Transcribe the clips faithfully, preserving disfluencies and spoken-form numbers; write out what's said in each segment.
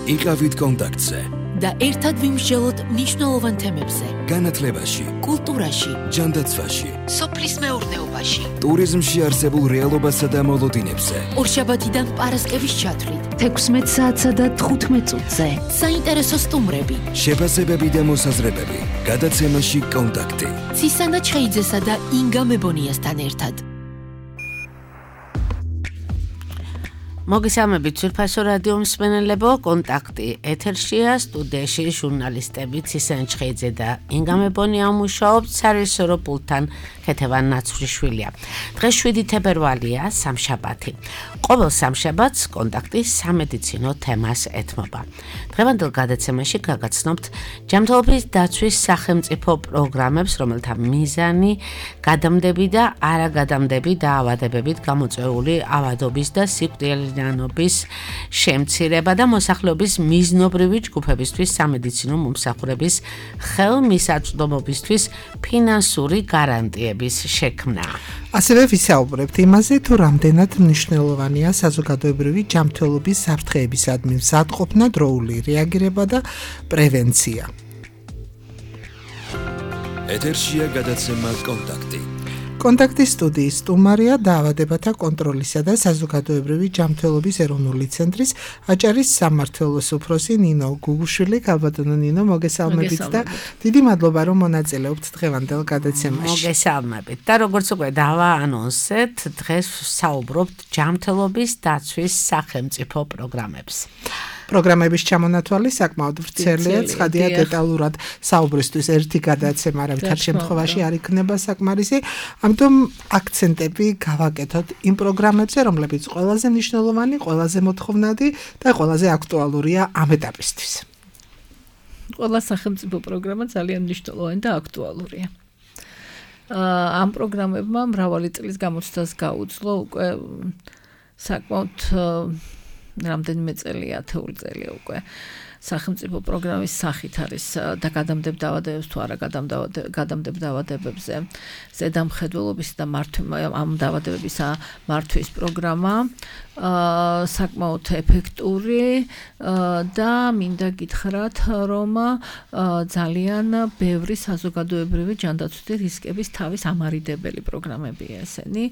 იყავით კონტაქტზე და ერთად ვიმსჯელოთ მნიშვნელოვან თემებზე. განათლებაში, კულტურაში, ჯანდაცვაში, სოფლის მეურნეობაში, ტურიზმში არსებულ რეალობასა და მოლოდინებზე. ორშაბათიდან პარასკევის ჩათვლით, თექვსმეტ საათსა და თხუთმეტ წუთზე. საინტერესო სტუმრები, შეფასებები და მოსაზრებები. გადაცემაში კონტაქტი. ცისანა ჩხეიძესა და ინგა მებონიასთან ერთად. მოგესალმებით ძვირფასო რადიო მსმენელებო, კონტაქტი ეთერშია, სტუდიაში ჟურნალისტები ცისანა ჩხეიძე და ინგა მებონია მუშაობთ, სარეჟისორო პულტთან ქეთევან ნაცვლიშვილია. დღეს შვიდი თებერვალია, სამშაბათი. ყოველ სამშაბათს კონტაქტი სამედიცინო თემას ეთმობა. დღევანდელ გადაცემაში გაგაცნობთ ჯანმრთელობის დაცვის სახელმწიფო პროგრამებს, რომელთა მიზანი გადამდები და არაგადამდები დაავადებებით გამოწვეული ავადობის და სიკვდილიანობის შემცირება და მოსახლეობის მიზნობრივი ჯგუფებისთვის სამედიცინო მომსახურების ხელმისაწვდომობისთვის ფინანსური გარანტიების შექმნა. ასევე ვისაუბრებთ იმაზე, თუ რამდენად მნიშვნელოვანია საზოგადოებრივი ჯანმრთელობის საფრთხეებისადმი მზადყოფნა, დროული რეაგირება და პრევენცია. ეთერშია გადაცემა კონტაქტი. კონტაქტის სტუდიის სტუმარია დაავადებათა კონტროლისა და საზოგადოებრივი ჯანმრთელობის ეროვნული ცენტრის აჭარის სამმართველოს უფროსი ნინო გუგუშვილი. ქალბატონო ნინო, მოგესალმებით და დიდი მადლობა, რომ მონაწილეობთ დღევანდელ გადაცემაში. მოგესალმებით და როგორც უკვე დავაანონსეთ, დღეს საუბრობთ ჯანმრთელობის დაცვის სახელმწიფო პროგრამებს. პროგრამების ჩამონათვალი საკმაოდ ვრცელია, ცხადია დეტალურად საუბრისთვის ერთი გადაცემა არავითარ შემთხვევაში არ იქნება საკმარისი, ამიტომ აქცენტები გავაკეთოთ იმ პროგრამებზე, რომლებიც ყველაზე მნიშვნელოვანი, ყველაზე მოთხოვნადი და ყველაზე აქტუალურია ამ ეტაპისთვის. ყველა სახელმწიფო პროგრამა ძალიან მნიშვნელოვანი და აქტუალურია. ამ პროგრამებმა მრავალი წლის გამოცდას გაუძლო, უკვე საკმაოდ რამდენიმე წელია, ათეული წელია უკვე სახელმწიფო პროგრამის სახით არის და გადამდებ დაავადებებს თუ არა გადამდებ დაავადებებზე ზედამხედველობის და ამ დაავადებების მართვის პროგრამა საკმაოდ ეფექტური და მინდა გითხრათ, რომ ძალიან ბევრი საზოგადოებრივი ჯანდაცვითი რისკების თავის ამარიდებელი პროგრამებია ესენი.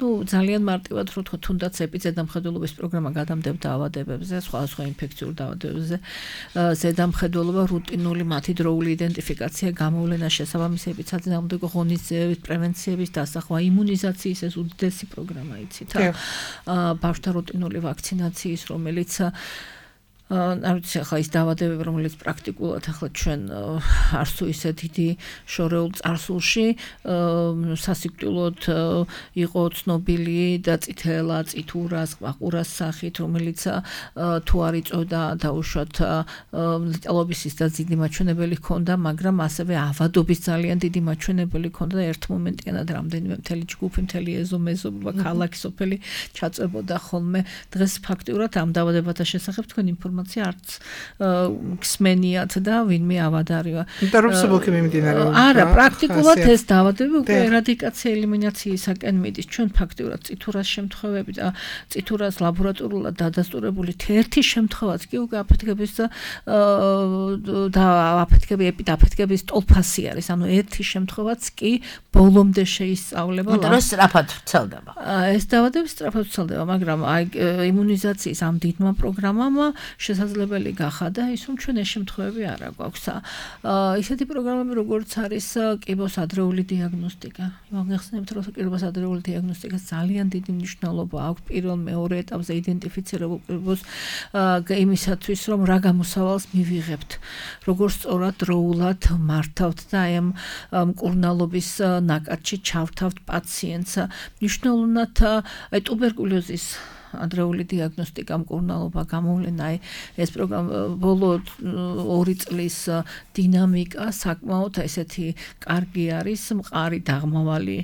ნუ ძალიან მარტივად რო ვთქვა, თუნდაც ეპიზედამხედველობის პროგრამა გადამდებ დაავადებებზე, სხვადასხვა ინფექციურ დაავადებებზე, ზედამხედველობა, რუტინული მათი დროული იდენტიფიკაცია, გამოვლენა, შესაბამისი ეპიდემიოლოგიური ღონისძიების, პრევენციების დასახვა, იმუნიზაციის ეს უდიდესი პროგრამა იცით. ბავშვთა რუტინული ვაქცინაციის, რომელიც არ ვიცი ახლა ის დაავადებები, რომელიც პრაქტიკულად ახლა ჩვენ არც თუ ისე დიდი შორეულ წარსულში სასიკვდილოდ იყო ცნობილი და წითელა, წითურას, ყაყურას სახით, რომელიც თუ არ იწოდა დაუშვათ ლეტალობის და დიდი მაჩვენებელი ჰქონდა, მაგრამ ასევე ავადობის ძალიან დიდი მაჩვენებელი ჰქონდა და ერთ მომენტიანად რამდენიმე მთელი ჯგუფი, მთელი ეზო, მეზობლობა, ქალაქი, სოფელი ჩაწვებოდა ხოლმე. დღეს ფაქტიურად ამ დაავადებათა შესახებ თქვენ ინფორმაცია არც გსმენიათ და ვინმე ავადარია. და რომ სუბოქი მიმდინარეობს. არა, პრაქტიკულად ეს დაავადებები უკვე ერადიკაცია ელიმინაციისაკენ მიდის. ჩვენ ფაქტიურად წითურას შემთხვევები და წითურას ლაბორატორულად დადასტურებული ერთი შემთხვევაც კი უკვე აფეთქების და აფეთქები ეპიდაფეთქების ტოლფასი არის. ანუ ერთი შემთხვევაც კი ბოლომდე შეისწავლება. მაგრამ სწრაფად ვრცელდება. ეს დაავადებები სწრაფად ვრცელდება, მაგრამ აი იმუნიზაციის ამ დიდმა პროგრამამ შესაძლებელი გახადა ის, რომ ჩვენ ეს შემთხვევები არ აგვაქვს. ისეთი პროგრამები, როგორც არის კიბოს ადრეული დიაგნოსტიკა. მოგეხსენებთ, რომ კიბოს ადრეული დიაგნოსტიკას ძალიან დიდი მნიშვნელობა აქვს პირველ მეორე ეტაპზე იდენტიფიცირებულ კიბოს იმისათვის, რომ რა გამოსავალს მივიღებთ, როგორ სწორად დროულად მართავთ და აი ამ მკურნალობის ნაკადში ჩავთავთ პაციენტს. მნიშვნელოვნად აი ტუბერკულოზის ადრეული დიაგნოსტიკა, მკურნალობა, გამოვლენა, აი ეს პროგრამა ბოლო ორი წლის დინამიკა საკმაოდ ესეთი კარგი არის, მყარი დაღმავალი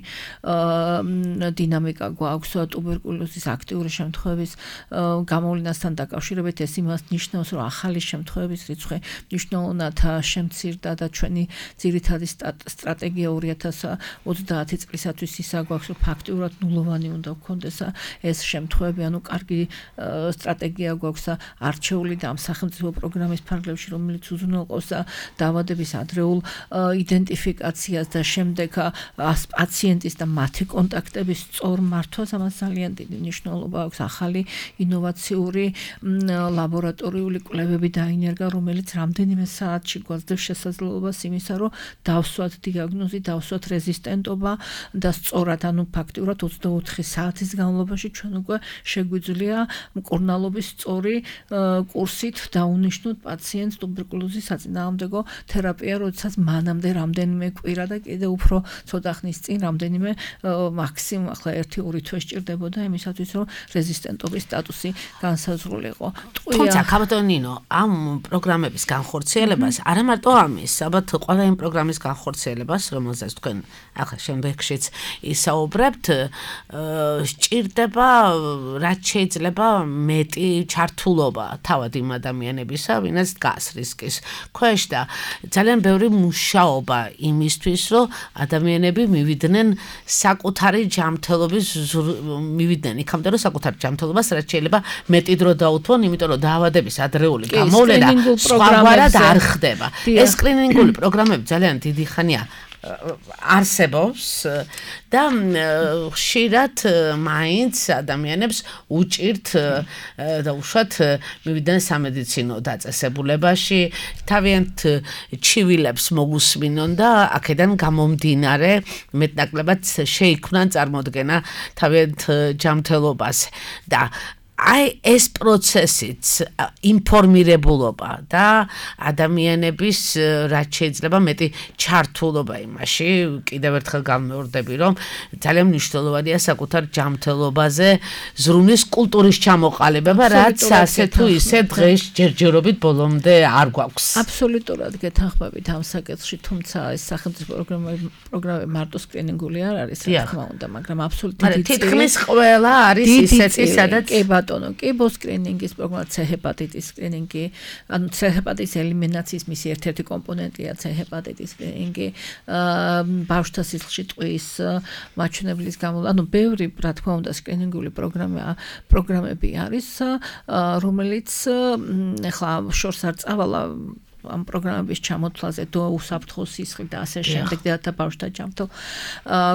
დინამიკა გვაქვს ტუბერკულოზის აქტიური შემთხვევების გამოვლენასთან დაკავშირებით. ეს იმას ნიშნავს, რომ ახალი შემთხვევების რიცხვი მნიშვნელოვნად შემცირდა და ჩვენი ძირითადი სტრატეგია ორი ათას ოცდაათი წლისათვის ისა გვაქვს, რომ ფაქტიურად ნულოვანი უნდა გქონდეს ეს შემთხვევები, ანუ კარგი სტრატეგია გვაქვს და არჩეული და ამ სახელმწიფო პროგრამის ფარგლებში, რომელიც უზრუნველყოფს დაავადების ადრეულ იდენტიფიკაციას და შემდეგ პაციენტის და მათი კონტაქტების სწორ მართვას, ამას ძალიან დიდი მნიშვნელობა აქვს. ახალი ინოვაციური ლაბორატორიული კვლევები დაინერგა, რომელიც რამდენიმე საათში გვაძლევს შესაძლებლობას იმისა, რომ დავსვათ დიაგნოზი, დავსვათ რეზისტენტობა და სწორად, ანუ ფაქტიურად ოცდაოთხი საათის განმავლობაში ჩვენ უკვე შეგვიძლია მკურნალობის სწორი კურსით დაუნიშნოთ პაციენტს ტუბერკულოზის საწინააღმდეგო თერაპია, როდესაც მანამდე რამდენიმე კვირა და კიდევ უფრო ცოტა ხნის წინ რამდენიმე მაქსიმუმ ახლა ერთი ორი თვე სჭირდებოდა იმისათვის, რომ რეზისტენტობის სტატუსი განსაზღვრულიყო. თუმცა ქაბატონინო, ამ პროგრამების განხორციელებას არა მარტო ამის, ალბათ ყველა იმ პროგრამის განხორციელებას, რომელზეც თქვენ ახლა შემდეგშიც ისაუბრებთ, სჭირდება რაც შეიძლება მეტი ჩართულობა თავად იმ ადამიანებისა, ვინაც დგას რისკის ქვეშ და ძალიან ბევრი მუშაობა იმისთვის, რომ ადამიანები მივიდნენ საკუთარი ჯანმრთელობის მივიდნენ იქამდე, რომ საკუთარი ჯანმრთელობას რაც შეიძლება მეტი დრო დაუთმონ, იმიტომ რომ დაავადების ადრეული გამოვლენა სხვაგვარად არ ხდება. ეს სკრინინგული პროგრამები ძალიან დიდი ხანია არსებობს და ხშირად მაინც ადამიანებს უჭირთ და უშუალოდ მივიდნენ სამედიცინო დაწესებულებაში, თავიანთ ჩივილებს მოგუსმინონ და აქედან გამომდინარე მეტნაკლებად შეიქმნან წარმოდგენა თავიანთ ჯანმრთელობას და აი ეს პროცესიც ინფორმირებულობა და ადამიანების რაც შეიძლება მეტი ჩართულობა იმაში, კიდევ ერთხელ გამეორდები, რომ ძალიან მნიშვნელოვანია საკუთარ ჯანმრთელობაზე ზრუნვის კულტურის ჩამოყალიბება, რაც ასე თუ ისე დღეს ჯერჯერობით ბოლომდე არ გვაქვს. აბსოლუტურად გეთანხმებით ამ საკითხში, თუმცა ეს სახელმწიფო პროგრამები პროგრამები მარტო სკრინინგული არ არის, რა თქმა უნდა, მაგრამ აბსოლუტურად დიდი თითქმის ყველა არის ისეთი, სადაც ბატონო, კი ბოსკრინინგის პროგრამა C ჰეპატიტის სკრინინგი, ანუ C ჰეპატიტის ელიმინაციის მისი ერთ-ერთი კომპონენტია C ჰეპატიტის სკრინინგი, ბავშვთა სისხლში ტყვის მაჩვენებლის გამო, ანუ ბევრი, რა თქმა უნდა, სკრინინგული პროგრამა პროგრამები არის, რომელიც ახლა შორს არ წავალა ამ პროგრამების ჩამოთვლაზე დო უსაფრთხო სისხლი და ასე შემდეგ და ბავშვთა ჯანმრთელ,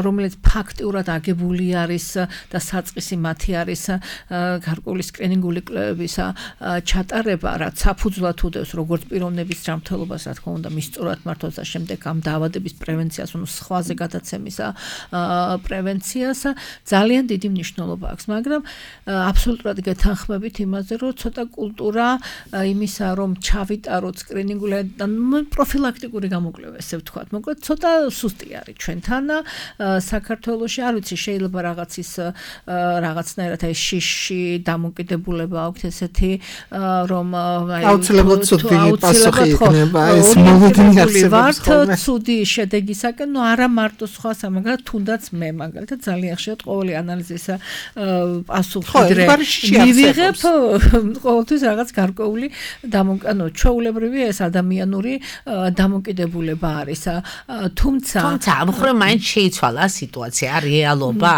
რომელიც ფაქტიურად აგებული არის და საწყისი მათი არის გარკვეული სკრინინგული კვლევების ჩატარება, რაც საფუძვლად უდევს როგორც პიროვნების ჯანმრთელობას, რა თქმა უნდა, მის სწორად მართვას და შემდეგ ამ დაავადების პრევენციას, ანუ სხვაზე გადაცემის პრევენციას ძალიან დიდი მნიშვნელობა აქვს, მაგრამ აბსოლუტურად გეთანხმებით იმაზე, რომ ცოტა კულტურა იმისა, რომ ჩავიტაროთ სკრინინგ პროფილაქტიკური გამოკვლევა, ესე ვთქვათ, მოკლედ ცოტა სუსტი არის ჩვენთან საქართველოში, არ ვიცი, შეიძლება რაღაცის რაღაცნაირად აი შიში დამოკიდებულება აქვს ესეთი, რომ აი აუცილებლად ცუდი პასუხი იქნება ეს მოლოდინი არსებობს ხოლმე. ცუდი შედეგისაკენ, ნუ არა მარტო სხვა, მაგრამ თუნდაც მე მაგალითად ძალიან ხშირად ყოველი ანალიზის პასუხი დღე მივიღებ ყოველთვის რაღაც გარკვეული ანუ ჩვეულებრივი ეს ადამიანური დამოკიდებულება არის. თუმცა თუმცა ამ ხრო მაინც შეიცვალა სიტუაცია, რეალობა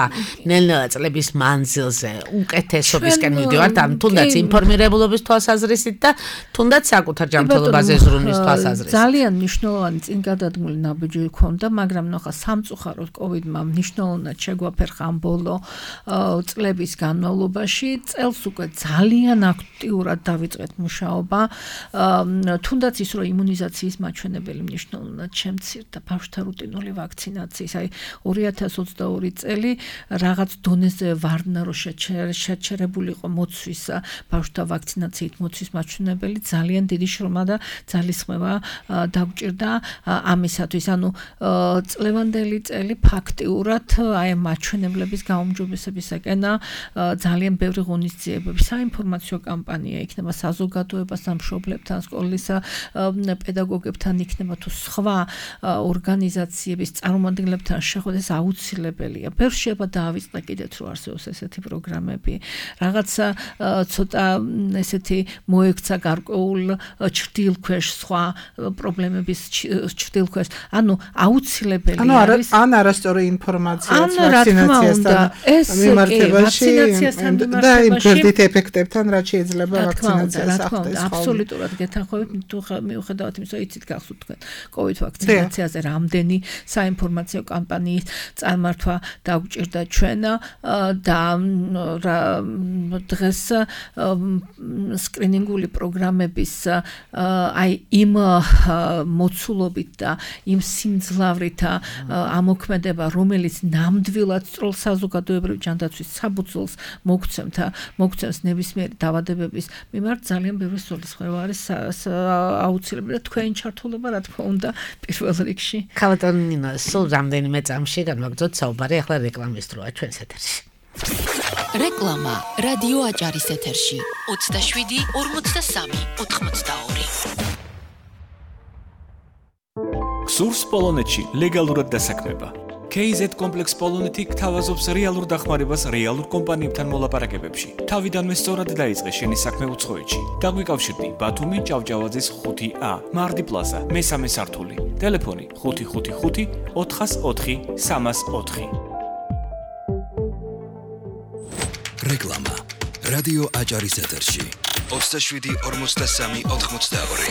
ნელ-ნელა წლების მანძილზე უკეთესობისკენ მივდივართ, ამ თუნდაც ინფორმირებულობის თვალსაზრისით და თუნდაც საკუთარ ჯანმრთელობაზე ზრუნვის თვალსაზრისით. ძალიან მნიშვნელოვანი წინგადადგმული ნაბიჯი ჰქონდა, მაგრამ ნახა სამწუხაროდ კოვიდმა მნიშვნელოვნად შეგვაფერხა ამ ბოლო წლების განმავლობაში. წელს უკვე ძალიან აქტიურად დავიწყეთ მუშაობა, თუნდაც ის რომ იმუნიზაციის მაჩვენებელი მნიშვნელოვნად შემცირდა ბავშვთა რუტინული ვაქცინაციის, აი ორი ათას ოცდაორი წელი რაღაც დონეზე ვარდნა რომ შეჩერებულიყო მოცვის ბავშვთა ვაქცინაციით მოცვის მაჩვენებელი, ძალიან დიდი შრომა და ძალისხმევა დაგვჭირდა ამისათვის, ანუ წლევანდელი წელი ფაქტიურად აი მაჩვენებლების გაუმჯობესებისაკენ ძალიან ბევრი ღონისძიებები, საინფორმაციო კამპანია იქნება საზოგადოებას, სამშობლებთან, სკოლის პედაგოგებთან იქნება თუ სხვა ორგანიზაციების წარმომადგენლებთან შეხვდეს აუცილებელია. ბევრ შეიძლება დაავიწყდა კიდეც რომ არსებობს ესეთი პროგრამები. რაღაცა ცოტა ესეთი მოექცა გარკვეულ ჭრდილქვეშ სხვა პრობლემების ჭრდილქვეშ. ანუ აუცილებელი არის ან არასწორი ინფორმაციაც ვაქცინაციასთან მიმართებაში და იმ გვერდით ეფექტებთან რაც შეიძლება ვაქცინაციას ახდენს. აბსოლუტურად გეთანხმებით თუ მიუხედავად იმისა იცით გახსოვთ თქვენ კოვიდ ვაქცინაციაზე რამდენი საინფორმაციო კამპანიის წარმართვა დაგვჭირდა ჩვენ და დღეს სკრინინგული პროგრამების აი იმ მოცულობით და იმ სიმძლავრით ამოქმედება რომელიც ნამდვილად სწორ საზოგადოებრივ ჯანდაცვის საფუძველს მოგცემთ მოგცემს ნებისმიერი დაავადებების მიმართ ძალიან ბევრი სულისხმევა არის აუცილებელი და თქვენი ჩართულობა რა თქმა უნდა პირველ რიგში. ქალბატონინო, სულ რამდენიმე წამში განვაგრძოთ საუბარი ახლა რეკლამის დროა ჩვენს ეთერში. რეკლამა რადიო აჭარის ეთერში ოცდაშვიდი ორმოცდასამი ოთხმოცდაორი. გსურს პოლონეთში ლეგალურად დასაქმება. კეი ზედ კომპლექს პოლონეთი გთავაზობს რეალურ დახმარებას რეალურ კომპანიებთან მოლაპარაკებებში. თავიდანვე სწორად დაიწყე შენი საქმე უცხოეთში. დაგვიკავშირდი ბათუმი ჭავჭავაძის ხუთი ა, მარდი პლაზა, მესამე სართული. ტელეფონი ხუთი ხუთი ხუთი ოთხას ოთხი სამას ოთხი. რეკლამა რადიო აჭარის ეთერში ოცდაშვიდი ორმოცდასამი ოთხმოცდაორი.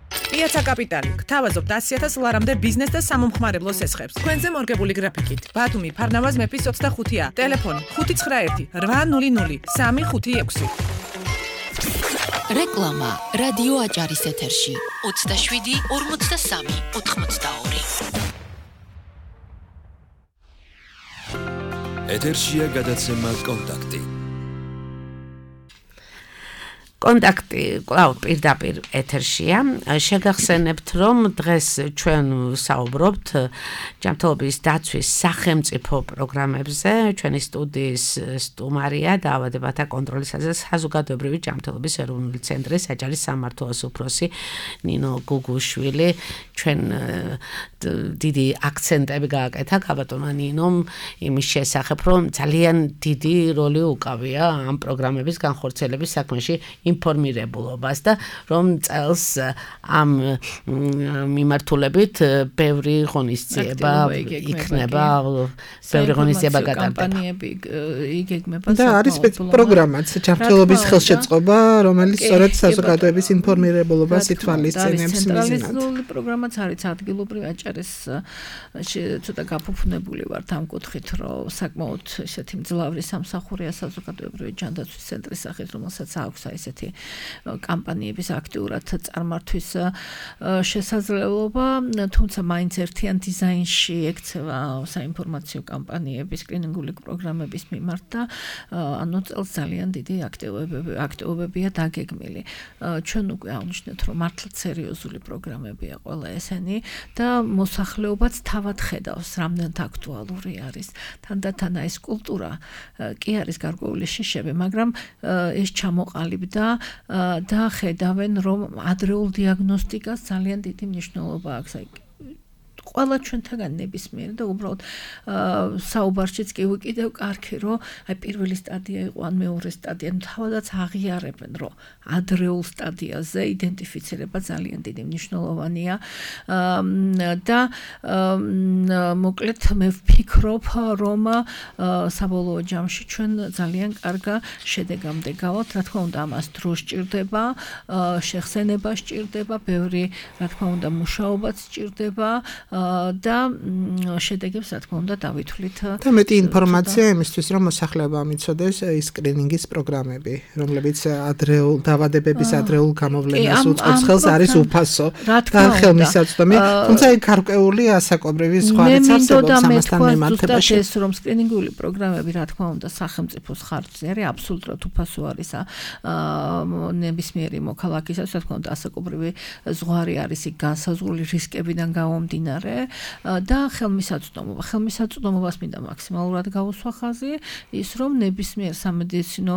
პიაცა კაპიტალი გთავაზობთ ასი ათას ლარამდე ბიზნეს და სამომხმარებლო სესხებს. თქვენზე მორგებული გრაფიკით. ბათუმი ფარნავაზ მეფის ოცდახუთი ა, ტელეფონი ხუთი ცხრა ერთი რვა ნული ნული სამი ხუთი ექვსი. რეკლამა რადიო აჭარის ეთერში ოცდაშვიდი ორმოცდასამი ოთხმოცდაორი. ეთერშია გადაცემა კონტაქტი. კონტაქტი კлау პირდაპირ ეთერშია. შეგახსენებთ რომ დღეს ჩვენ საუბრობთ ჯანმრთელობის დაცვის სახელმწიფო პროგრამებზე. ჩვენი სტუდიის სტუმარია დაავადებათა კონტროლისაზე საზოგადოებრივი ჯანმრთელობის ეროვნული ცენტრის აჭარის სამმართველოს უფროსი ნინო გუგუშვილი. ჩვენ დიდი აქცენტები გააკეთა ქალბატონმა ნინომ იმის შესახებ რომ ძალიან დიდი როლი უკავია ამ პროგრამების განხორციელების საქმეში ინფორმირებულობას და რომ წელს ამ მიმართულებით ბევრი ღონისძიება იქნება, ბევრი ღონისძიება გატარდება. კამპანიები იგეგმება და არის პროგრამაც ჯანმრთელობის ხელშეწყობა, რომელიც სწორედ საზოგადოების ინფორმირებულობას ითვალისწინებს მიზნად. ცენტრალიზებული პროგრამაც არის ადგილობრივ აჭარის ცოტა გაფუფუნებული ვართ ამ კუთხით, რომ საკმაოდ ესეთი მძლავრი სამსახურია საზოგადოებრივი ჯანდაცვის ცენტრის სახით, რომელსაც აქვს ესეთი კამპანიების აქტიურად წარმართვის შესაძლებლობა, თუმცა მაინც ერთიან დიზაინში ექცევა საინფორმაციო კამპანიების სკრინინგული პროგრამების მიმართ და ანუ წელს ძალიან დიდი აქტივობები აქტივობებია დაგეგმილი. ჩვენ უკვე აღნიშნეთ, რომ მართლაც სერიოზული პროგრამებია ყველა ესენი და მოსახლეობაც თავად ხედავს, რამდენად აქტუალური არის. თანდათან ეს კულტურა კი არის გარკვეული შიშები, მაგრამ ეს ჩამოყალიბდა და ხედავენ რომ ადრეულ დიაგნოსტიკას ძალიან დიდი მნიშვნელობა აქვს. ყველა ჩვენთაგან ნებისმიერი და უბრალოდ საუბარშიც კი ვიკიდევ კარგი რომ აი პირველი სტადია იყო ან მეორე სტადია, თავადაც აღიარებენ რომ ადრეულ სტადიაზე იდენტიფიცირება ძალიან დიდი მნიშვნელოვანია და მოკლედ მე ვფიქრობ რომ საბოლოო ჯამში ჩვენ ძალიან კარგ შედეგამდე გავალთ. რა თქმა უნდა ამას დრო სჭირდება, შეხსენება სჭირდება, ბევრი რა თქმა უნდა მუშაობაც სჭირდება და შედეგებს რა თქმა უნდა დავითვლით. და მეტი ინფორმაცია იმისთვის რომ მოსახლეობამ იცოდეს ის სკრინინგის პროგრამები, რომლებიც ადრეულ დაავადებების ადრეულ გამოვლენას უწყობს ხელს, არის უფასო და ხელმისაწვდომი, თუმცა იქ გარკვეული ასაკობრივი სხვა რიცხვი არსებობს ამასთან მიმართებაში. ეს რომ სკრინინგული პროგრამები რა თქმა უნდა სახელმწიფოს ხარჯზე არის, აბსოლუტურად უფასო არის ნებისმიერი მოქალაქისას, რა თქმა უნდა ასაკობრივი ზღვარი არის იქ განსაზღვრული რისკებიდან გამომდინარე მერე და ხელმისაწვდომობა. ხელმისაწვდომობას მინდა მაქსიმალურად გავუსვა ხაზი, ის რომ ნებისმიერ სამედიცინო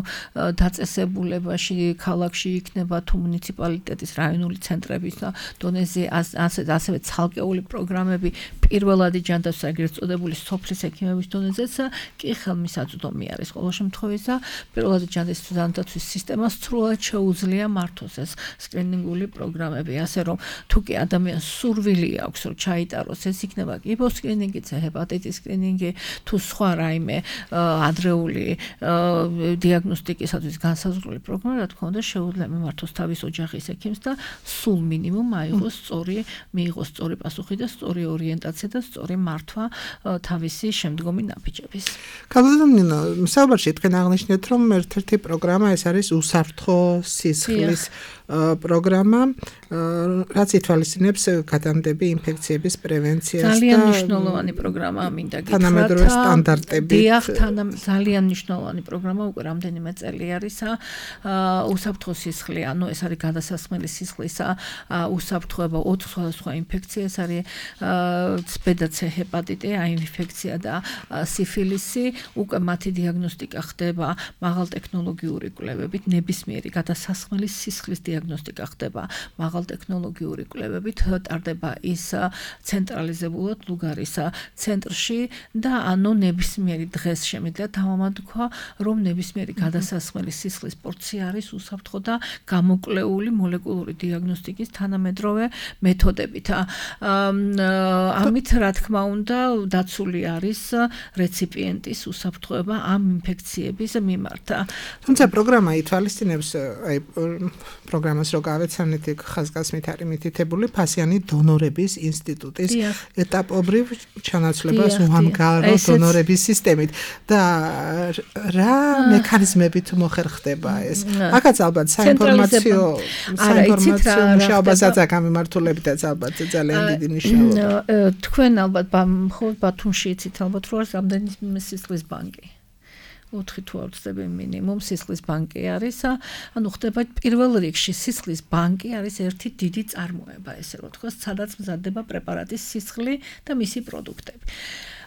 დაწესებულებაში, ქალაქში იქნება თუ მუნიციპალიტეტის რაიონული ცენტრების დონეზე ასევე ცალკეული პროგრამები პირველადი ჯანდაცვის ეგრეთ წოდებული სოფლის ექიმების დონეზეც კი ხელმისაწვდომი არის. ყოველ შემთხვევაში პირველადი ჯანდაცვის სისტემას სრულად შეუძლია მართოს ეს სკრინინგული პროგრამები, ასე რომ თუ კი ადამიანს სურვილი აქვს რომ ჩაიტაროს, ეს იქნება კიბოს სკრინინგი, ჰეპატიტის სკრინინგი, თუ სხვა რაიმე ადრეული დიაგნოსტიკისათვის განსაზღვრული პროგრამა, რა თქმა უნდა, შეუძლია მიმართოს თავის ოჯახის ექიმს და სულ მინიმუმ აიღოს სწორი, მიიღოს სწორი პასუხი და სწორი ორიენტაცია და სწორი მართვა თავისი შემდგომი ნაბიჯების. კაბულინო, საუბარში თქვენ აღნიშნეთ, რომ ერთ-ერთი პროგრამა ეს არის უსაფრთხო სისხლის პროგრამა, რაც ითვალისწინებს გადამდები ინფექციების პრევენციას და ძალიან მნიშვნელოვანი პროგრამაა, მინდა გითხრათ. თანამედროვე სტანდარტებით. დიახ, ძალიან მნიშვნელოვანი პროგრამა, უკვე რამდენიმე წელი არისა. უსაფრთხო სისხლი, ანუ ეს არის გადასასხმელი სისხლისა უსაფრთხოება ოთხ სხვადასხვა ინფექცია, ეს არის ბედა ცე ჰეპატიტი, აი ინფექცია და სიფილისი, უკვე მათი დიაგნოსტიკა ხდება მაღალტექნოლოგიური კვლევებით, ნებისმიერი გადასასხმელი სისხლის დიაგნოსტიკა ხდება მაღალტექნოლოგიური კვლევებით, ტარდება ის ცენტრალიზებულად ლუგარის ცენტრში და ანუ ნებისმიერი დღეს შემიძლია თავამადქვა, რომ ნებისმიერი გადასასხმელი სისხლის პორცია არის უსაფრთხო და გამოკვლეული მოლეკულური დიაგნოსტიკის თანამედროვე მეთოდებით. ამით რა თქმა უნდა დაცული არის რეციპიენტის უსაფრთხოება ამ ინფექციების მიმართ. თუმცა პროგრამა ითვალისწინებს, აი პროგრამას რო გავეცანით, ხაზგასმით არის მითითებული ფასიანი დონორების ინსტიტუტის ეტაპობრივ ჩანაცვლებას უამგარო დონორების სისტემით და რა მექანიზმებით მოხერხდება ეს? აქაც ალბათ საინფორმაციო საინფორმაციო მუშაობასაც გამიმართულებითაც ალბათ ძალიან დიდი მნიშვნელობა. თქვენ ალბათ მხოლოდ ბათუმში იცით ალბათ რომ არის რამდენი სისხლის ბანკი. ოთხი თუ არ ვცდები მინიმუმ სისხლის ბანკი არის, ანუ ხდება პირველ რიგში სისხლის ბანკი არის ერთი დიდი წარმოება, ესე რომ თქვა, სადაც მზადდება პრეპარატის სისხლი და მისი პროდუქტები.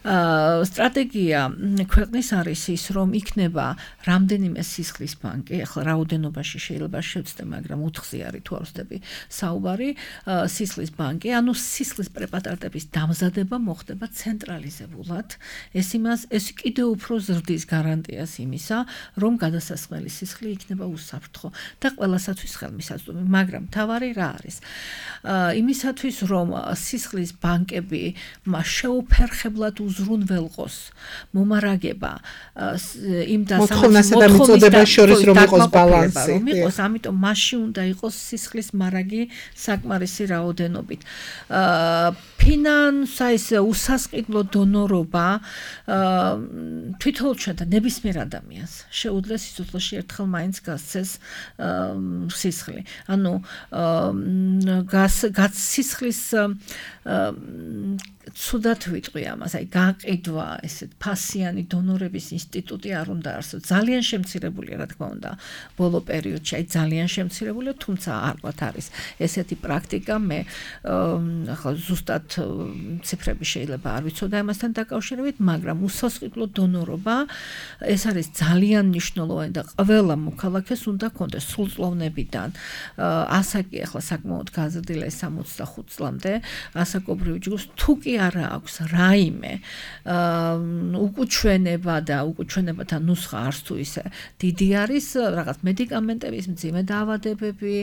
სტრატეგია ქვეყნის არის ის, რომ იქნება რამდენიმე სისხლის ბანკი, ახლა რაოდენობაში შეიძლება შევცდე, მაგრამ ოთხზე არის თუ არ ვცდები საუბარი, სისხლის ბანკი, ანუ სისხლის პრეპარატების დამზადება მოხდება ცენტრალიზებულად. ეს იმას, ეს კიდევ უფრო ზრდის გარანტიას იმისა, რომ გადასასხმელი სისხლი იქნება უსაფრთხო და ყველასათვის ხელმისაწვდომი, მაგრამ თავარი რა არის? იმისათვის, რომ სისხლის ბანკები შეუფერხებლად უზრუნველყოს მომარაგება იმ მოთხოვნასა და მიწოდებას შორის რომ იყოს ბალანსი. რომ იყოს, ამიტომ მასში უნდა იყოს სისხლის მარაგი საკმარისი რაოდენობით. ფინანსა ის უსასყიდლო დონორობა თვითონ შედა ნებისმიერ ადამიანს შეუძლია სიცოცხლეში ერთხელ მაინც გასცეს სისხლი. ანუ გას სისხლის ცუდად ვიტყვი ამას, აი გაყიდვა, ესეთ ფასიანი დონორების ინსტიტუტი არ უნდა არსებობს. ძალიან შემცირებულია, რა თქმა უნდა, ბოლო პერიოდში, აი ძალიან შემცირებულია, თუმცა არ ვთქვათ არის ესეთი პრაქტიკა, მე ახლა ზუსტად ციფრები შეიძლება არ ვიცოდა ამასთან დაკავშირებით, მაგრამ უსასყიდლო დონორობა ეს არის ძალიან მნიშვნელოვანი და ყველა მოქალაქეს უნდა ჰქონდეს სრულწლოვნებიდან. ასაკი ახლა საკმაოდ გაზრდილია სამოცდახუთ წლამდე, ასაკობრივ ჯგუფს თუ კი არა აქვს რაიმე უკუჩვენება და უკუჩვენებათა ნუსხა არც თუ ისე დიდი არის, რაღაც მედიკამენტების მძიმე დაავადებები,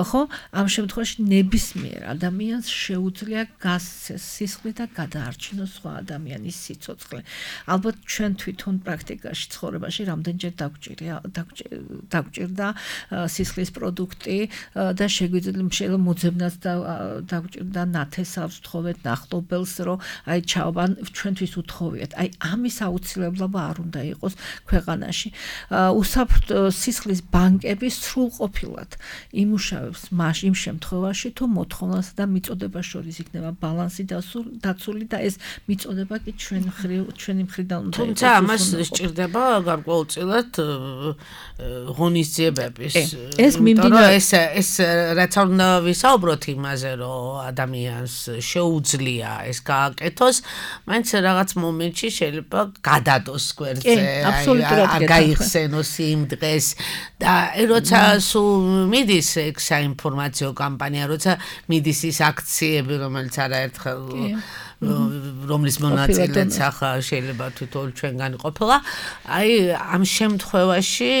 ხო? ამ შემთხვევაში ნებისმიერ ადამიანს შეუძლია გასცეს სისხლი და გადაარჩინოს სხვა ადამიანის სიცოცხლე. ალბათ ჩვენ თვითონ პრაქტიკაში ცხოვრებაში რამდენჯერ დაგვჭირდა სისხლის პროდუქტი და შეგვიძლია მოძებნაც და დაგვჭირდა ნათესავს, თხოვეთ ნახტობელს, რომ აი ჩავან ჩვენთვის უთხოვიათ. აი ამის აუცილებლობა არ უნდა იყოს ქვეყანაში. უსაფრთხო სისხლის ბანკები სრულყოფილად იმუშავებს მას იმ შემთხვევაში, თუ მოთხოვნასა და მიწოდებას შორის იქნება ბალანსი დაცული და ეს მიწოდება კი ჩვენ მხრივ ჩვენი მხრიდან უნდა თუმცა ამას სჭირდება გარკვეულწილად ღონისძიებების. ეს მიმდინარე ეს ეს რაც უნდა ვისაუბროთ იმაზე, რომ ადამიანს შეუძლია ეს გააკეთოს, მაინც რაღაც მომენტში შეიძლება გადადოს გვერდზე, აი გაიხსენოს იმ დღეს და როცა სულ მიდის ეგ საინფორმაციო კამპანია, როცა მიდის ის აქციები, რომელიც არაერთხელ რომლის მონაწილეც ახლა შეიძლება თვითონ ჩვენგანი ყოფილა, აი ამ შემთხვევაში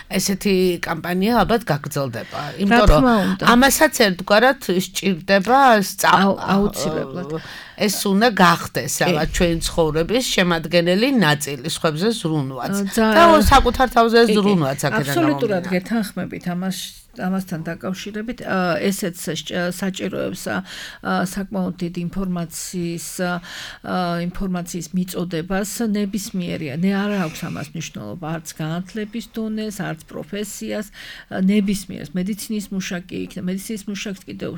ესეთი კამპანია ალბათ გაგრძელდება, იმიტომ რომ ამასაც ერთგვარად სჭირდება აუცილებლად. ეს უნდა გახდეს რაღაც ჩვენი ცხოვრების შემადგენელი ნაწილი, სხვებზე ზრუნვაც. და საკუთარ თავზე ზრუნვაც აქედან. აბსოლუტურად გეთანხმებით ამას ამასთან დაკავშირებით, ესეც საჭიროებს საკმაოდ დიდ ინფორმაციის ინფორმაციის მიწოდებას ნებისმიერია. ნე არ აქვს ამას მნიშვნელობა არც განათლების დონეს, არც პროფესიას, ნებისმიერს მედიცინის მუშაკი იქნება, მედიცინის მუშაკს კიდევ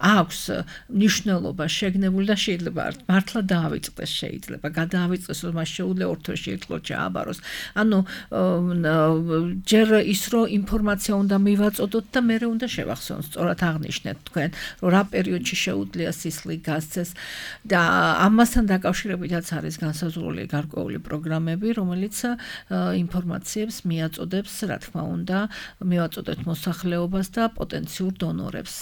აქვს მნიშვნელობა შეგნებული და შეიძლება მართლა დაავიწყდეს, შეიძლება გადაავიწყდეს, რომ მას შეუძლია ორ თვეში ერთხელ ჩააბაროს. ანუ ჯერ ის რომ ინფორმაცია უნდა მივაწოდოთ და მე უნდა შევახსენოთ, სწორად აღნიშნეთ თქვენ, რომ რა პერიოდში შეუძლია სისხლი გასცეს და ამასთან დაკავშირებითაც არის განსაზღვრული გარკვეული პროგრამები, რომელიც ინფორმაციებს მიაწოდებს, რა თქმა უნდა, მივაწოდეთ მოსახლეობას და პოტენციურ დონორებს.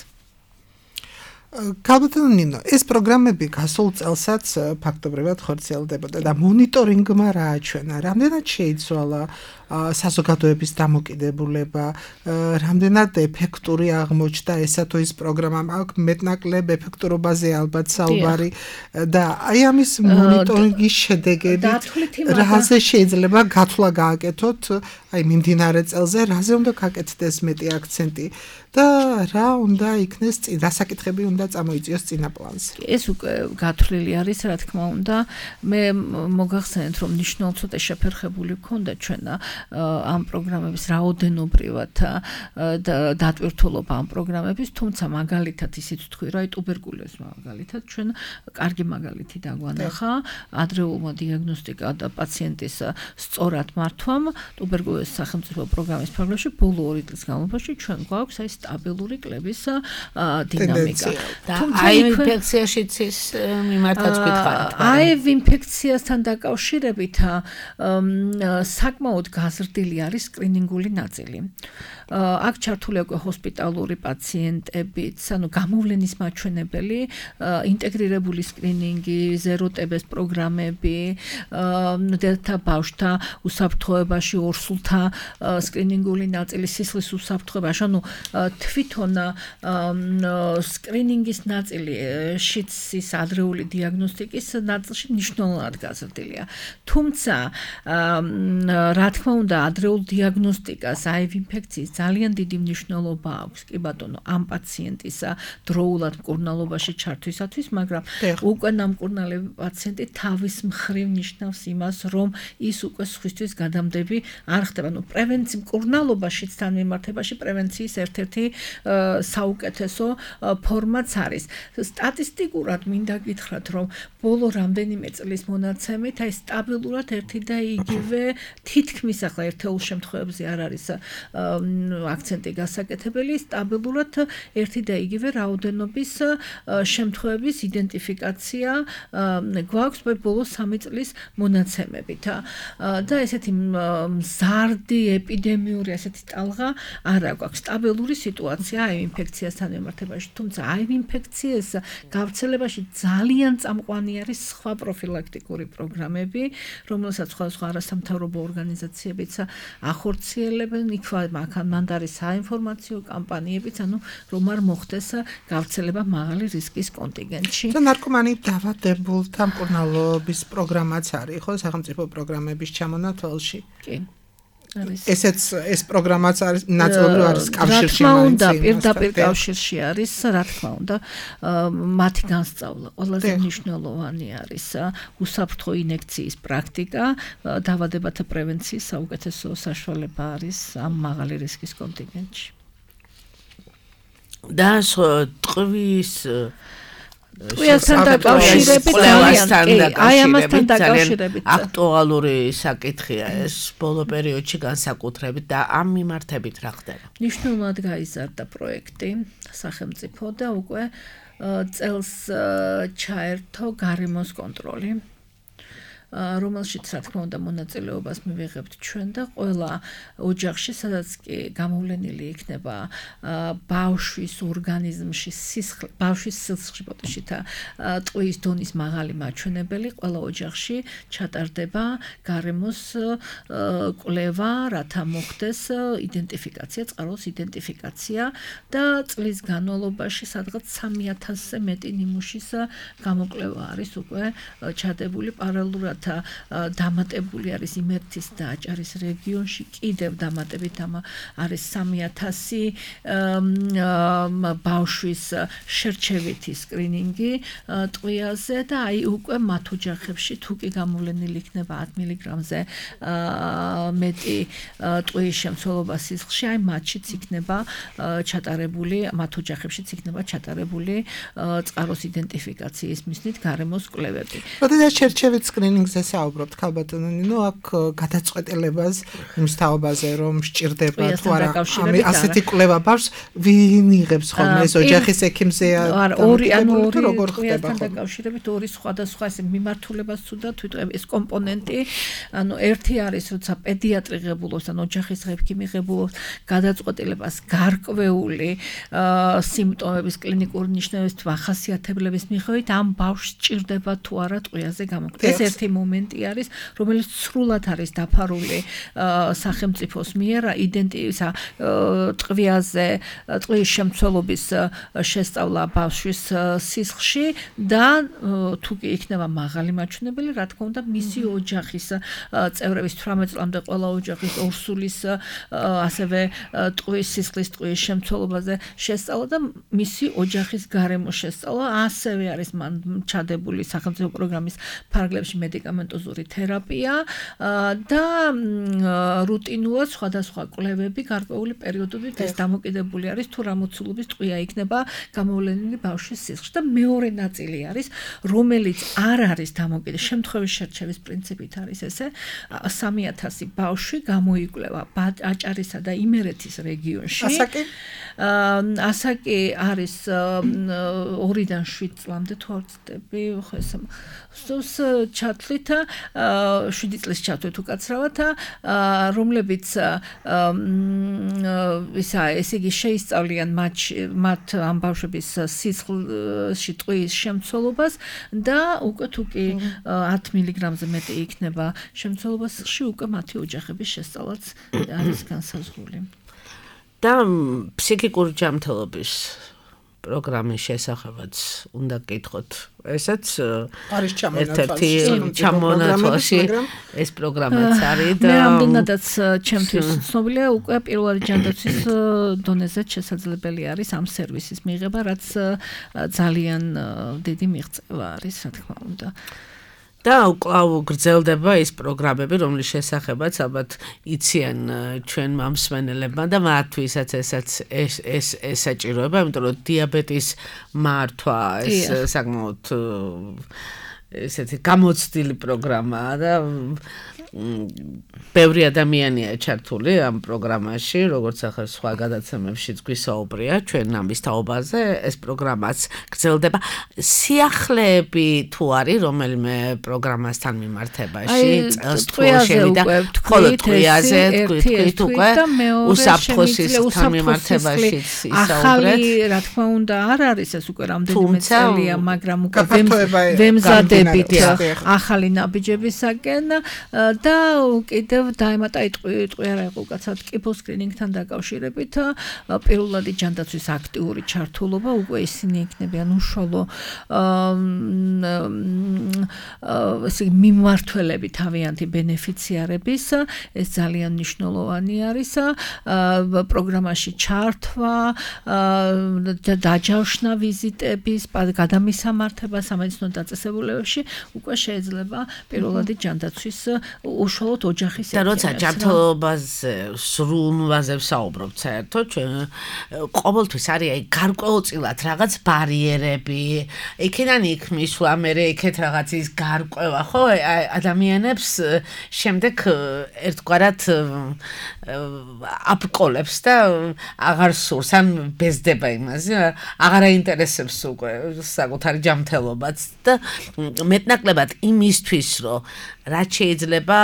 Kalbatan Nino, ეს პროგრამები გასულ წელსაც ფაქტობრივად ხორციელდებოდა და მონიტორინგმა რააჩვენა, რამდენად შეიცვალა საზოგადოების დამოკიდებულება, რამდენად ეფექტური აღმოჩნდა ესა თუ ის პროგრამა, აქვს მეტნაკლებ ეფექტურობაზე ალბათ საუბარი და აი ამის მონიტორინგის შედეგებით რაზე შეიძლება გათვლა გააკეთოთ, აი მიმდინარე წელზე რაზე უნდა გაკეთდეს მეტი აქცენტი და რა უნდა იქნეს წინ, რა საკითხები უნდა წამოიწიოს წინა პლანზე. ეს უკვე გათვლილი არის, რა თქმა უნდა. მე მოგახსენეთ, რომ მნიშვნელოვნად ცოტა შეფერხებული გქონდა ჩვენ ამ პროგრამების რაოდენობრივად დატვირთულობა ამ პროგრამების, თუმცა მაგალითად ისიც თქვი, რა ტუბერკულოზს მაგალითად ჩვენ კარგი მაგალითი დაგვანახა ადრეულმა დიაგნოსტიკა და პაციენტის სწორად მართვამ ტუბერკულოზის სახელმწიფო პროგრამის ფარგლებში ბოლო ორი წლის განმავლობაში ჩვენ გვაქვს აი სტაბილური კლების დინამიკა. აი ინფექციაშიც ის მიმართაც გითხარით. აი ინფექციასთან დაკავშირებით საკმაოდ გაზრდილი არის სკრინინგული ნაწილი. აქ ჩართულია უკვე ჰოსპიტალური პაციენტებიც, ანუ გამოვლენის მაჩვენებელი, ინტეგრირებული სკრინინგი, ზეროტებეს პროგრამები, დედა ბავშვთა უსაფრთხოებაში ორსულთა სკრინინგული ნაწილი, სისხლის უსაფრთხოებაში, ანუ თვითონ სკრინინგის ნაწილი შიცის ადრეული დიაგნოსტიკის ნაწილში მნიშვნელოვნად გაზრდილია. თუმცა რა თქმა უნდა ადრეულ დიაგნოსტიკას აი ინფექციის ძალიან დიდი მნიშვნელობა აქვს, კი ბატონო, ამ პაციენტის დროულად მკურნალობაში ჩართვისათვის, მაგრამ უკვე ნამკურნალები პაციენტი თავის მხრივ ნიშნავს იმას, რომ ის უკვე სხვისთვის გადამდები არ ხდება. ნუ პრევენცია მკურნალობაშიც თან მიმართებაში პრევენციის ერთ-ერთი საუკეთესო ფორმაც არის. სტატისტიკურად მინდა გითხრათ, რომ ბოლო რამდენიმე წლის მონაცემით აი სტაბილურად ერთი და იგივე თითქმის ახლა ერთეულ შემთხვევებში არ არის აქცენტი გასაკეთებელი, სტაბილურად ერთი და იგივე რაოდენობის შემთხვევების იდენტიფიკაცია გვაქვს ბოლო სამი წლის მონაცემებით. და ესეთი მზარდი ეპიდემიური ასეთი ტალღა არ აქვს. სტაბილური სიტუაცია აი ინფექციასთან მიმართებაში, თუმცა აი ინფექციის გავრცელებაში ძალიან წამყვანი არის სხვა პროფილაქტიკური პროგრამები, რომელსაც სხვადასხვა არასამთავრობო ორგანიზაციებიც ახორციელებენ, იქ მან არის საინფორმაციო კამპანიებიც, ანუ რომ არ მოხდეს გავრცელება მაღალი რისკის კონტინგენტში. და ნარკომანით დაავადებულთა მკურნალობის პროგრამაც არის, ხო, სახელმწიფო პროგრამების ჩამონათვალში. კი. ესეც ეს პროგრამაც არის ნაწილობრივ არის კავშირში რა თქმა უნდა პირდაპირ კავშირში არის რა თქმა უნდა მათი განსწავლა ყველაზე მნიშვნელოვანი არის უსაფრთხო ინექციის პრაქტიკა დაავადებათა პრევენციის საუკეთესო საშუალება არის ამ მაღალი რისკის კონტინენტში და ტყვის ტყვიასთან დაკავშირებით აი ამასთან დაკავშირებით აქტუალური საკითხია ეს ბოლო პერიოდში განსაკუთრებით და ამ მიმართებით რა ხდება მნიშვნელოვნად გაიზარდა პროექტი სახელმწიფო და უკვე წელს ჩაერთო გარემოს კონტროლი რომელშიც რა თქმა უნდა მონაწილეობას მივიღებთ ჩვენ და ყველა ოჯახში სადაც კი გამოვლენილი იქნება ბავშვის ორგანიზმში სისხლი ბავშვის სისხლში და ტყვის დონის მაღალი მაჩვენებელი ყველა ოჯახში ჩატარდება გარემოს კვლევა რათა მოხდეს იდენტიფიკაცია წყაროს იდენტიფიკაცია და წლის განმავლობაში სადღაც სამი ათასზე მეტი ნიმუშის გამოკვლევა არის უკვე ჩადებული პარალელურად დამატებული არის იმერეთის და აჭარის რეგიონში კიდევ დამატებით არის სამი ათასი ბავშვის შერჩევითი სკრინინგი ტყვიაზე და აი უკვე მათ ოჯახებში თუ კი გამოვლენილი იქნება ათ მილიგრამზე მეტი ტყვის შემცველობა სისხლში აი მათშიც იქნება ჩატარებული მათ ოჯახებშიც იქნება ჩატარებული წყაროს იდენტიფიკაციის მიზნით გარემოს კვლევები. როდესაც შერჩევით სკრინინგ ზე საუბრობთ ქალბატონო ნინო აქ გადაწყვეტილებას იმ სტაობაზე რომ სჭირდება თუ არა ასეთი კვლევა ბავშვს ვინ იღებს ხოლმე ეს ოჯახის ექიმზეა ორი ანუ ორი როგორ ხდება დაკავშირებით ორი სხვადასხვა ეს მიმართულებას თუდა თვითონ ეს კომპონენტი ანუ ერთი არის როცა პედიატრი ღებულობს ან ოჯახის ექიმი ღებულობს გადაწყვეტილებას გარკვეული სიმპტომების კლინიკური ნიშნებების თუ ახასიათებლების მიხედვით ამ ბავშვს სჭირდება თუ არა ტყვიაზე გამოკვლევა ეს ერთი მომენტი არის რომელიც სრულად არის დაფარული სახელმწიფოს მიერ იდენტიფიკაცია ტყვიაზე ტყვის შემცველობის შესწავლა ბავშვის სისხლში და თუ კი იქნება მაღალი მაჩვენებელი რა თქმა უნდა მისი ოჯახის წევრების თვრამეტ წლამდე ყველა ოჯახის ორსულის ასევე ტყვის სისხლის ტყვის შემცველობაზე შესწავლა და მისი ოჯახის გარემო შესწავლა ასევე არის მან ჩადებული სახელმწიფო პროგრამის ფარგლებში მედიკამენტოზური თერაპია და რუტინულად სხვადასხვა კვლევები გარკვეული პერიოდებით ეს დამოკიდებული არის თუ რა მოცულობის ტყვია იქნება გამოვლენილი ბავშვის სისხლში და მეორე ნაწილი არის რომელიც არ არის დამოკიდებული შემთხვევის შერჩევის პრინციპით არის ესე სამი ათასი ბავშვი გამოიკვლევა აჭარისა და იმერეთის რეგიონში ასაკი ასაკი არის ორიდან შვიდ წლამდე თუ არ ვცდები ხო ეს სოს ჩათვლით შვიდი წლის ჩათვლით უკაცრავად რომლებიც ისა ესე იგი შეისწავლიან მათ მათ ამ ბავშვების სისხლში ტყვის შემცველობას და უკვე თუ კი ათ მილიგრამზე მეტი იქნება შემცველობა სისხლში უკვე მათი ოჯახების შესწავლაც არის განსაზღვრული და ფსიქიკური ჯანმრთელობის პროგრამის შესახებაც უნდა გკითხოთ. ესეც არის ერთ-ერთი ჩამონათვალში ეს პროგრამაც არის და მე რამდენადაც ჩემთვის ცნობილია უკვე პირველი ჯანდაცვის დონეზე შესაძლებელი არის ამ სერვისის მიღება, რაც ძალიან დიდი მიღწევა არის, რა თქმა უნდა. და უკვლავ გრძელდება ის პროგრამები, რომლის შესახებაც ალბათ იციან ჩვენ მომსმენელებმა და მათთვისაც ესაც ეს ეს ესაჭიროება, იმიტომ რომ დიაბეტის მართვა ეს საკმაოდ ესეთი გამოცდილი პროგრამაა და ბევრი ადამიანია ჩართული ამ პროგრამაში, როგორც ახლა სხვა გადაცემებშიც გვისაუბრია ჩვენ ამის თაობაზე, ეს პროგრამაც გრძელდება. სიახლეები თუ არის რომელიმე პროგრამასთან მიმართებაში, წელს თუ შევიდა, ხოლო ტყვიაზე თქვით უკვე უსაფრთხო სისხლთან მიმართებაში ისაუბრეთ. ახალი, რა თქმა უნდა, არ არის ეს უკვე რამდენიმე წელია, მაგრამ უკვე ვემზადებით ახალი ნაბიჯებისაკენ და კიდევ დაემატა იტყვი არა იყო უკაცრავად კიფო სკრინინგთან დაკავშირებით პირველადი ჯანდაცვის აქტიური ჩართულობა უკვე ისინი იქნებიან უშუალო ესე მიმმართველები თავიანთი ბენეფიციარების ეს ძალიან მნიშვნელოვანი არის პროგრამაში ჩართვა დაჯავშნა ვიზიტების გადამისამართება სამედიცინო დაწესებულებებში უკვე შეიძლება პირველადი ჯანდაცვის უშუალოდ ოჯახის და როცა ჯანმრთელობაზე სრულნვაზე ვსაუბრობთ საერთოდ ყოველთვის არის აი გარკვეულწილად რაღაც ბარიერები იქიდან იქ მისვლა მე იქეთ რაღაცის გარკვევა ხო ადამიანებს შემდეგ ერთგვარად აპკოლებს და აღარ სურს ან ბეზდება იმაზე აღარ აინტერესებს უკვე საკუთარი ჯანმრთელობაც და მეტნაკლებად იმისთვის რომ რაც შეიძლება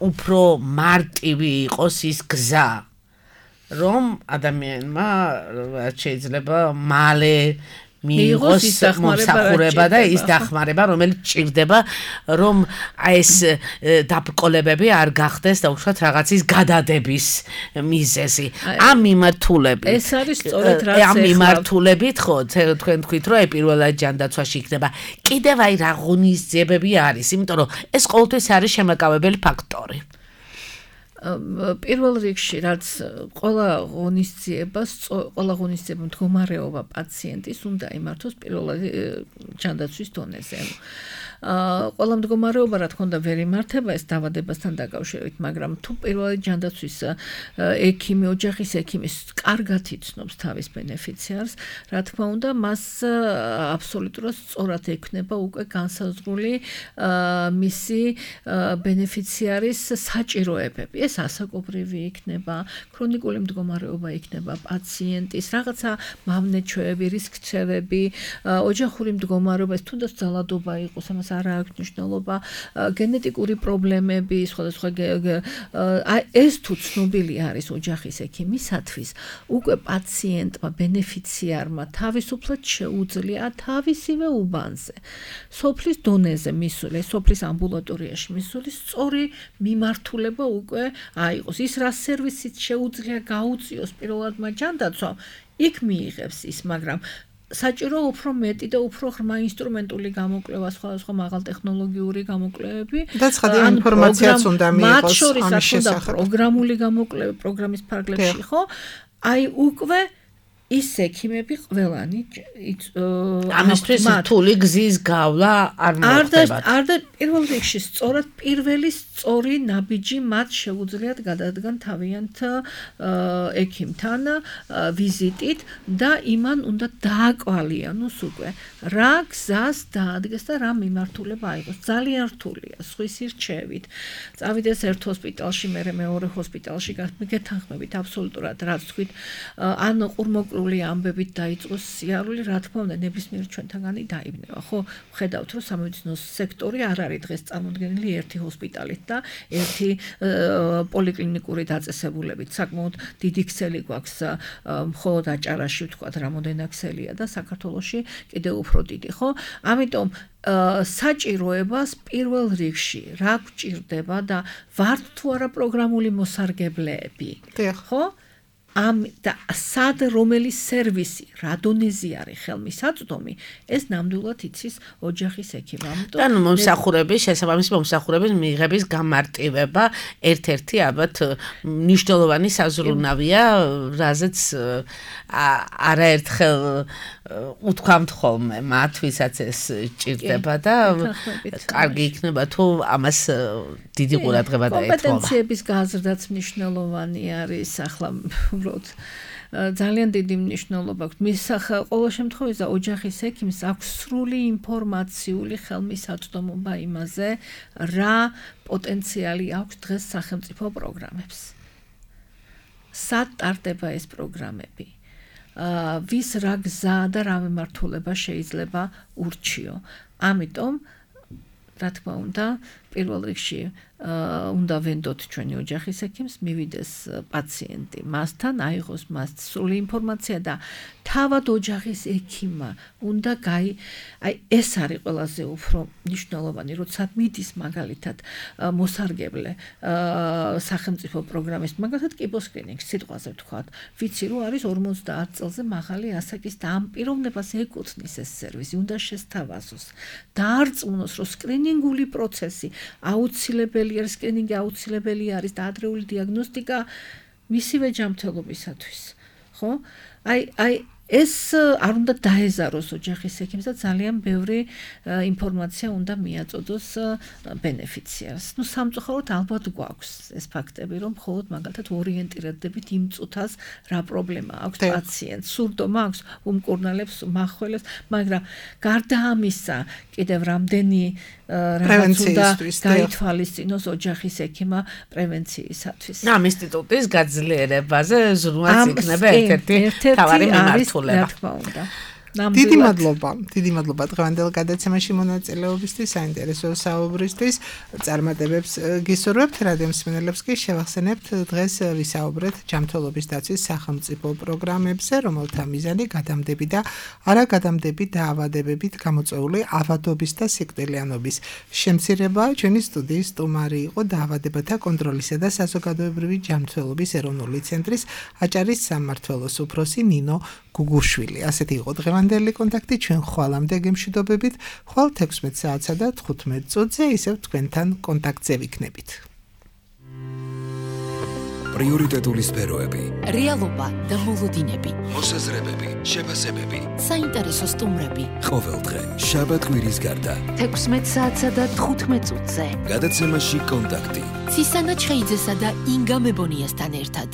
უფრო მარტივი იყოს ის გზა რომ ადამიანმა რაც შეიძლება მალე მიიღოს მომსახურება და ის დახმარება რომელიც ჭირდება რომ აი ეს დაბკოლებები არ გახდეს და უშუალოდ რაღაცის გადადების მიზეზი ამ მიმართულებით ეს არის სწორედ რაც ამ მიმართულებით ხო თქვენ თქვით რომ აი პირველად ჯანდაცვაში იქნება კიდევ აი რა ღონისძიებები არის იმიტომ რომ ეს ყოველთვის არის შემაკავებელი ფაქტორი პირველ რიგში რაც ყველა ღონისძიებას ყველა ღონისძიება მდგომარეობა პაციენტის უნდა იმართოს პირველად ჯანდაცვის დონეზე ყველა მდგომარეობა რა თქმა უნდა ვერ იმართება ეს დაავადებასთან დაკავშირებით მაგრამ თუ პირველად ჯანდაცვის ექიმი ოჯახის ექიმი კარგად იცნობს თავის ბენეფიციარს რა თქმა უნდა მას აბსოლუტურად სწორად ექნება უკვე განსაზღვრული მისი ბენეფიციარის საჭიროებები ეს ასაკობრივი იქნება, ქრონიკული მდგომარეობა იქნება პაციენტის, რაღაცა მავნეჩვევები, რისკცევები, ოჯახური მდგომარეობა, თუნდაც ძალადობა იყოს, ამას არ აქვს მნიშვნელობა, გენეტიკური პრობლემები, სხვადასხვა ეს თუ ცნობილი არის ოჯახის ექიმისათვის, უკვე პაციენტმა, ბენეფიციარმა თავისუფლად შეუძლია თავისივე უბანზე, სოფლის დონეზე მისული, სოფლის ამბულატორიაში მისული სწორი მიმართულება უკვე აიყოს ის რა სერვისით შეუძლია გაუწიოს პირველადმა ჯანდაცვამ იქ მიიღებს ის მაგრამ საჭირო უფრო მეტი და უფრო ღრმა ინსტრუმენტული გამოკვლევა სხვადასხვა მაღალტექნოლოგიური გამოკვლევები და ცხადია ინფორმაციაც უნდა მიიღოს მათ შორის რა თქმა უნდა პროგრამული გამოკვლევა პროგრამის ფარგლებში ხო აი უკვე ის ექიმები ყველანი ამისთვის რთული გზის გავლა არ მოხდებათ. არ და პირველ რიგში სწორად პირველი სწორი ნაბიჯი მათ შეუძლიათ გადადგან თავიანთ ექიმთან ვიზიტით და იმან უნდა დააკვალიანოს უკვე რა გზას დაადგეს და რა მიმართულება აიღოს. ძალიან რთულია სხვის რჩევით. წავიდეს ერთ ჰოსპიტალში, მერე მეორე ჰოსპიტალში გეთანხმებით აბსოლუტურად რაც თქვით ან ყურმოკ ამბებით დაიწყოს სიარული, რა თქმა უნდა, ნებისმიერ ჩვენთაგანი დაიბნება, ხო? ვხედავთ, რომ სამედიცინო სექტორი არ არის დღეს წარმოდგენილი ერთი ჰოსპიტალით და ერთი პოლიკლინიკური დაწესებულებით. საკმაოდ დიდი ქსელი გვაქვს მხოლოდ აჭარაში, ვთქვათ, რამოდენა ქსელია და საქართველოში კიდევ უფრო დიდი, ხო? ამიტომ საჭიროებას პირველ რიგში რა გვჭირდება და ვართ თუ არა პროგრამული მოსარგებლეები, ხო? ამ და სად რომელი სერვისი რა დონეზე არის ხელმისაწვდომი ეს ნამდვილად იცის ოჯახის ექიმი. ამიტომ ანუ მომსახურების შესაბამისი მომსახურების მიღების გამარტივება ერთ-ერთი ალბათ მნიშვნელოვანი საზრუნავია, რაზეც არაერთხელ უთქვამთ ხოლმე მათ ვისაც ეს ჭირდება და კარგი იქნება თუ ამას დიდი ყურადღება დაეთმობა. კომპეტენციების გაზრდაც მნიშვნელოვანი არის ახლა ძალიან დიდი მნიშვნელობა აქვს. მის ყოველ შემთხვევაში ოჯახის ექიმს აქვს სრული ინფორმაციული ხელმისაწვდომობა იმაზე, რა პოტენციალი აქვს დღეს სახელმწიფო პროგრამებს. სად ტარდება ეს პროგრამები? ვის რა გზა და რა მიმართულება შეიძლება ურჩიო. ამიტომ რა თქმა უნდა პირველ რიგში უნდა ვენდოთ ჩვენი ოჯახის ექიმს, მივიდეს პაციენტი მასთან, აიღოს მას სრული ინფორმაცია და თავად ოჯახის ექიმმა უნდა გაი აი ეს არის ყველაზე უფრო მნიშვნელოვანი, როცა მიდის მაგალითად მოსარგებლე სახელმწიფო პროგრამის მაგალითად კიბოსკრინინგ სიტყვაზე ვთქვათ, ვიცი რომ არის ორმოცდაათ წელზე მაღალი ასაკის და ამ პიროვნებას ეკუთვნის ეს სერვისი, უნდა შესთავაზოს, დაარწმუნოს, რომ სკრინინგული პროცესი აუცილებელი არის, სკრინინგი აუცილებელი არის და ადრეული დიაგნოსტიკა მისივე ჯანმრთელობისათვის, ხო? აი აი ეს არ უნდა დაეზაროს ოჯახის ექიმს და ძალიან ბევრი ინფორმაცია უნდა მიაწოდოს ბენეფიციარს. ნუ სამწუხაროდ ალბათ გვაქვს ეს ფაქტები, რომ მხოლოდ მაგალითად ორიენტირდებით იმ წუთას რა პრობლემა აქვს პაციენტს, სურდომა აქვს, უმკურნალებს, მახველებს, მაგრამ გარდა ამისა, კიდევ რამდენი რაღაც უნდა გაითვალისწინოს ოჯახის ექიმა პრევენციისათვის. ამ ინსტიტუტის გაძლიერებაზე ზრუნვაც იქნება ერთ-ერთი თავარი მიმართულება. რა თქმა უნდა. დიდი მადლობა, დიდი მადლობა დღევანდელ გადაცემაში მონაწილეობისთვის, საინტერესო საუბრისთვის. წარმატებებს გისურვებთ, რადიო მსმენელებს კი შევახსენებთ, დღეს ვისაუბრეთ ჯანმრთელობის დაცვის სახელმწიფო პროგრამებზე, რომელთა მიზანი გადამდები და არაგადამდები დაავადებებით გამოწვეული ავადობის და სიკვდილიანობის შემცირება. ჩვენი სტუდიის სტუმარი იყო დაავადებათა კონტროლისა და საზოგადოებრივი ჯანმრთელობის ეროვნული ცენტრის აჭარის სამმართველოს უფროსი ნინო გუგუშვილი. ასეთი იყო დღევანდელი კონტაქტი, ჩვენ ხვალამდე გემშვიდობებით, ხვალ თექვსმეტ საათსა და თხუთმეტ წუთზე ისევ თქვენთან კონტაქტზე ვიქნებით. პრიორიტეტული სფეროები, რეალობა და მოლოდინები, მოსაზრებები, შეფასებები, საინტერესო სტუმრები. ყოველდღე შაბათ კვირის გარდა თექვსმეტ საათსა და თხუთმეტ წუთზე. გადაცემაში კონტაქტი. ცისანა ჩხეიძესა და ინგა მებონიასთან ერთად.